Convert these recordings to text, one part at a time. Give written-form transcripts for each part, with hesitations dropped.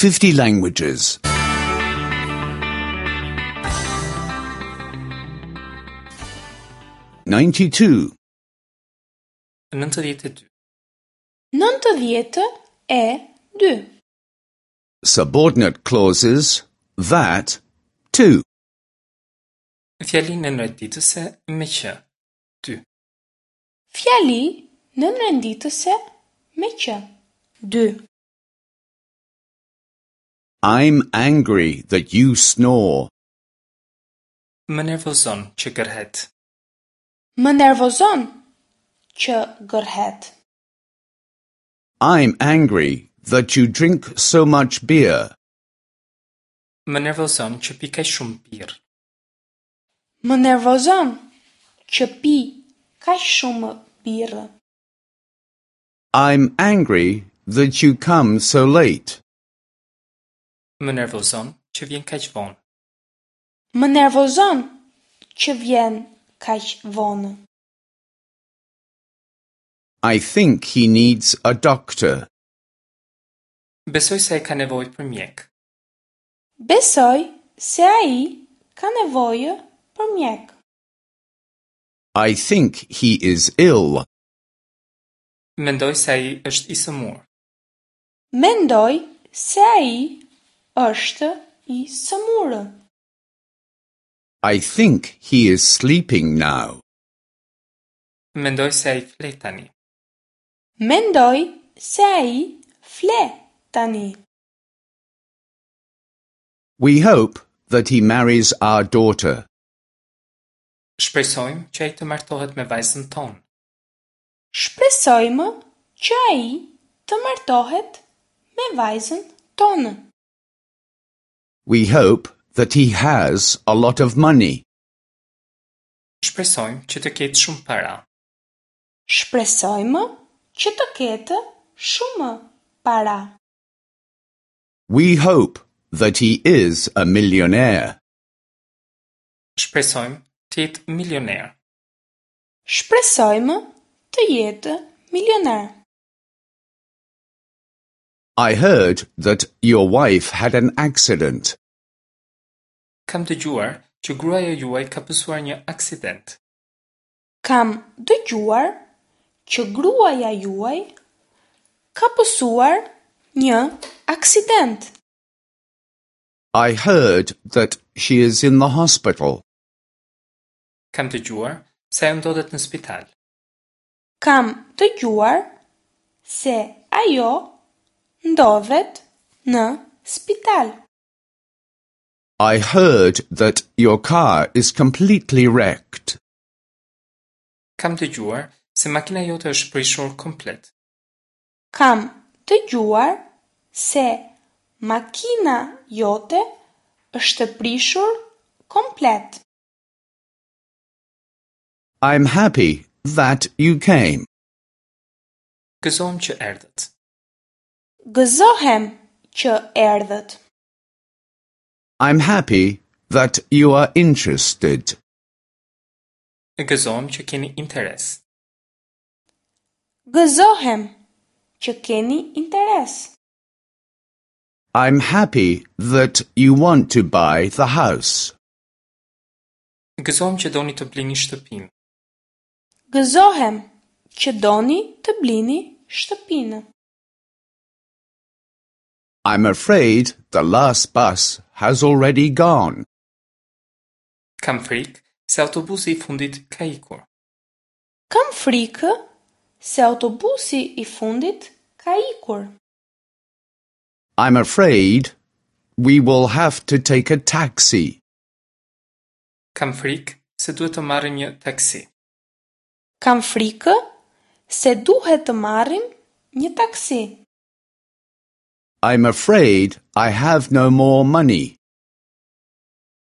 50 languages. 92. 92. 92. Subordinate clauses that, to. Fjali nënrenditëse me që. 2. Fjali nënrenditëse me që. 2. I'm angry that you snore. Më nervozon që gërhet. Më nervozon që gërhet. I'm angry that you drink so much beer. Më nervozon që pi kaq shumë birrë. Më nervozon që pi kaq shumë birrë. I'm angry that you come so late. Më nervozon që vjen kaq vonë. Më nervozon që vjen kaq vonë. I think he needs a doctor. Besoj se ai ka nevojë për mjek. Besoj se ai ka nevojë për mjek. I think he is ill. Mendoj se ai është i sëmurë. Mendoj se ai është i sëmurë. I think he is sleeping now. Mendoj se ai fle tani. Mendoj se ai fle tani. We hope that he marries our daughter. Shpresojmë që ai të martohet me vajzën tonë. Shpresojmë që ai të martohet me vajzën tonë. We hope that he has a lot of money. Shpresojmë që të ketë shumë para. Shpresojmë që të ketë shumë para. We hope that he is a millionaire. Shpresojmë të jetë milioner. Shpresojmë të jetë milioner. I heard that your wife had an accident. Kam dëgjuar që gruaja juaj ka pësuar një aksident. Kam dëgjuar që gruaja juaj ka pësuar një aksident. I heard that she is in the hospital. Kam dëgjuar se ajo ndodhet në spital. Kam dëgjuar se ajo ndodhet në spital. I heard that your car is completely wrecked. Kam dëgjuar se makina jote është prishur komplet. Kam dëgjuar se makina jote është prishur komplet. I'm happy that you came. Gëzohem që erdhët. Gëzohem që erdhët. I'm happy that you are interested. Gëzohem që keni interes. Gëzohem që keni interes. I'm happy that you want to buy the house. Gëzohem që doni të blini shtëpinë. Gëzohem që doni të blini shtëpinë. I'm afraid the last bus has already gone. Kam frikë se autobusi i fundit ka ikur. Kam frikë se autobusi i fundit ka ikur. I'm afraid we will have to take a taxi. Kam frikë se duhet të marrim një taksi. Kam frikë se duhet të marrim një taksi. I'm afraid I have no more money.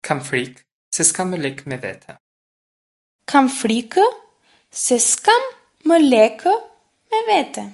Kam frikë se s'kam më lekë me vete. Kam frikë se s'kam më lekë me vete.